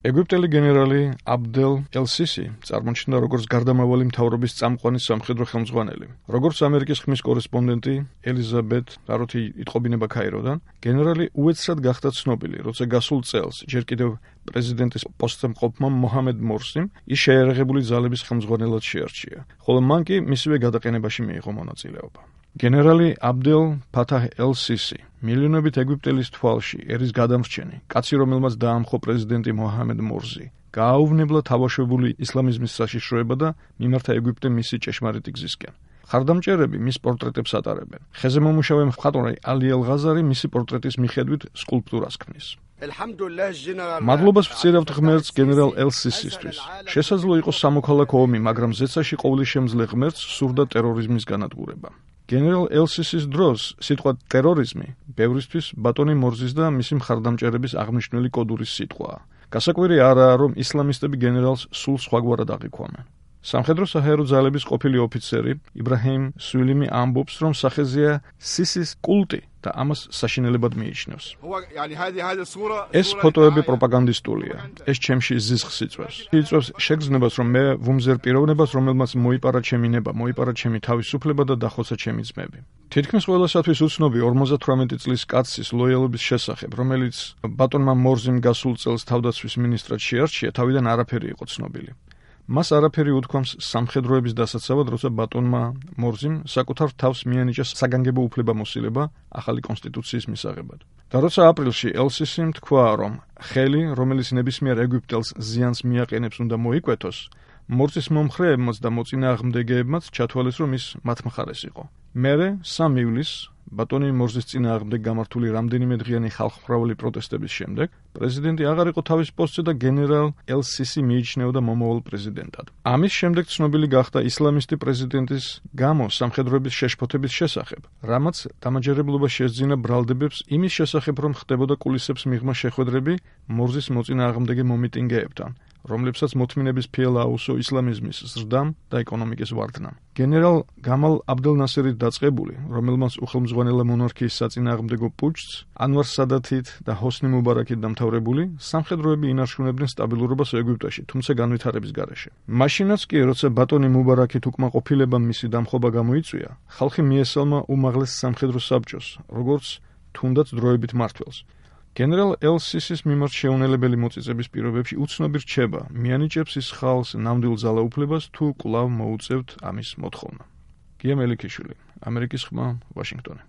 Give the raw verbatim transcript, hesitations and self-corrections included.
ეგვიპტელი გენერალი აბდელ ელ-სისი წარმოჩნდა როგორც გარდამავალი მთავრობის წამყვანი სამხედრო ხელმძღვანელი. როგორც ამერიკის ხმის კორესპონდენტი ელიზაბეთ რაროთი იტყობინება ქაიროდან, გენერალი უეცრად გახდა ცნობილი, როცა გასულ წელს ჯერ კიდევ პრეზიდენტის პოსტზე მყოფმა მოჰამედ მორსიმ ის შეიარაღებული ძალების ხელმძღვანელად შეარჩია, ხოლო მან კი მისივე გადაყენებაში მიიღო მონაწილეობა. გენერალი აბდელ ფათაჰ ელ-სისი მილიონობით ეგვიპტელის თვალში ერის გადამრჩენი, კაცი რომელმაც დაამხო პრეზიდენტი მოჰამედ მორსი, გააუვნებლა თავაშვებული ისლამიზმის საშიშროება და მიმართა ეგვიპტე მისი ჭეშმარიტი გზისკენ. ხარდამჭერები მის პორტრეტებს ატარებენ. ხეზე მომუშავე მხატვარი ალი ელ-ღაზარი მისი პორტრეტის მიხედვით სკულპტურას ქმნის. მადლობას ვწირავთ ღმერთს გენერალ ელ-სისისთვის. შესაძლო იყო სამოქალაქო ომი, მაგრამ ზეცაში ყოვლის შემძლე ღმერთს სურდა ტერორიზმის განადგურება. გენერალ ელ-სისის დროს სიტყვა ტერორიზმი ბევრისთვის ბატონი მორზის და მისი მხარდამჭერების აღმნიშვნელი კოდურის სიტყვაა. გასაკვირი არაა, რომ ისლამისტები გენერალს სულ სხვაგვარად აღიქვამენ. სამხედრო საჰაერო ძალების ყოფილი ოფიცერი იბრაჰიმ სულიმი ამბობს, რომ სახეზეა სისის კულტი და ამას საშინელებად მიიჩნევს. ეს ფოტოები პროპაგანდისტულია. ეს ჩემში ზიზღს იწვევს. იწვევს შეგრძნებას, რომ მე ვუმზერ პიროვნებას, რომელმაც მოიპარა ჩემი ნება, მოიპარა ჩემი თავისუფლება და დახოცა ჩემი ძმები. თითქმის ყველასათვის უცნობი ორმოცდათვრამეტი წლის კაცის ლოიალობის შესახებ, რომელიც ბატონმა მორზიმ გასულ წელს თავდაცვის მინისტრად შეარჩია, თავიდან არაფერი იყო ცნობილი. მას არაფერი უთქვამს სამხედროების დასაცავად, როცა ბატონმა მორზიმ საკუთარ თავს მიანიჭა საგანგებო უფლებამოსილება ახალი კონსტიტუციის მისაღებად. და როცა აპრილში ელ-სისიმ თქვა, რომ ხელი, რომელიც ნებისმიერ ეგვიპტელს ზიანს მიაყენებს, უნდა მოიკვეთოს, მორზის მომხრეებმაც და მოწინააღმდეგეებმაც ჩათვალეს, რომ ის მათ მხარეს იყო. მერე სამ ივლისს ბატონი მორზის წინააღმდეგ გამართული რამდენიმე დღიანი ხალხმრავალი პროტესტების შემდეგ პრეზიდენტი აღარ იყო თავის პოსტზე და გენერალ ელ-სისი მიიჩნეოდა მომავალ პრეზიდენტად. ამის შემდეგ ცნობილი გახდა ისლამისტი პრეზიდენტის გამო სამხედროების შეშფოთების შესახებ, რამაც დამაჯერებლობა შესძინა ბრალდებებს იმის შესახებ, რომ ხდებოდა კულისებს მიღმა შეხვედრები მორზის მოწინააღმდეგე მომიტინგეებთან, რომლებსაც მოთმინების ფილ აუსო ისლამიზმის ზრდამ და ეკონომიკის ვარდნამ. გენერალ გამალ აბდელ ნასერი დაწყებული, რომელმაც უხელმძღვანელა მონარქიის საწინააღმდეგო პუჩს ანვარ სადათით და ჰოსნი მუბარაკით დამთავრებული, სამხედროები ინარჩუნებდნენ სტაბილურობას ეგვიპტეში, თუმცა განვითარების გარეშე. მაშინაც კი, როცა ბატონი მუბარაკით უკმაყოფილებამ მისი დამხობა გამოიწვია, ხალხი მიესალმა უმაღლეს სამხედრო საბჭოს, როგორც თუნდაც დროებით მმართველს. გენერალ ელ-სისის მიმართ შეუნელებელი მოწიწების პირობებში უცნობი რჩება, მიანიჭებს ის ხალხს ნამდვილ ძალაუფლებას თუ კვლავ მოუწევთ ამის მოთხოვნა. გია მელიქიშვილი, ამერიკის ხმა, ვაშინგტონი.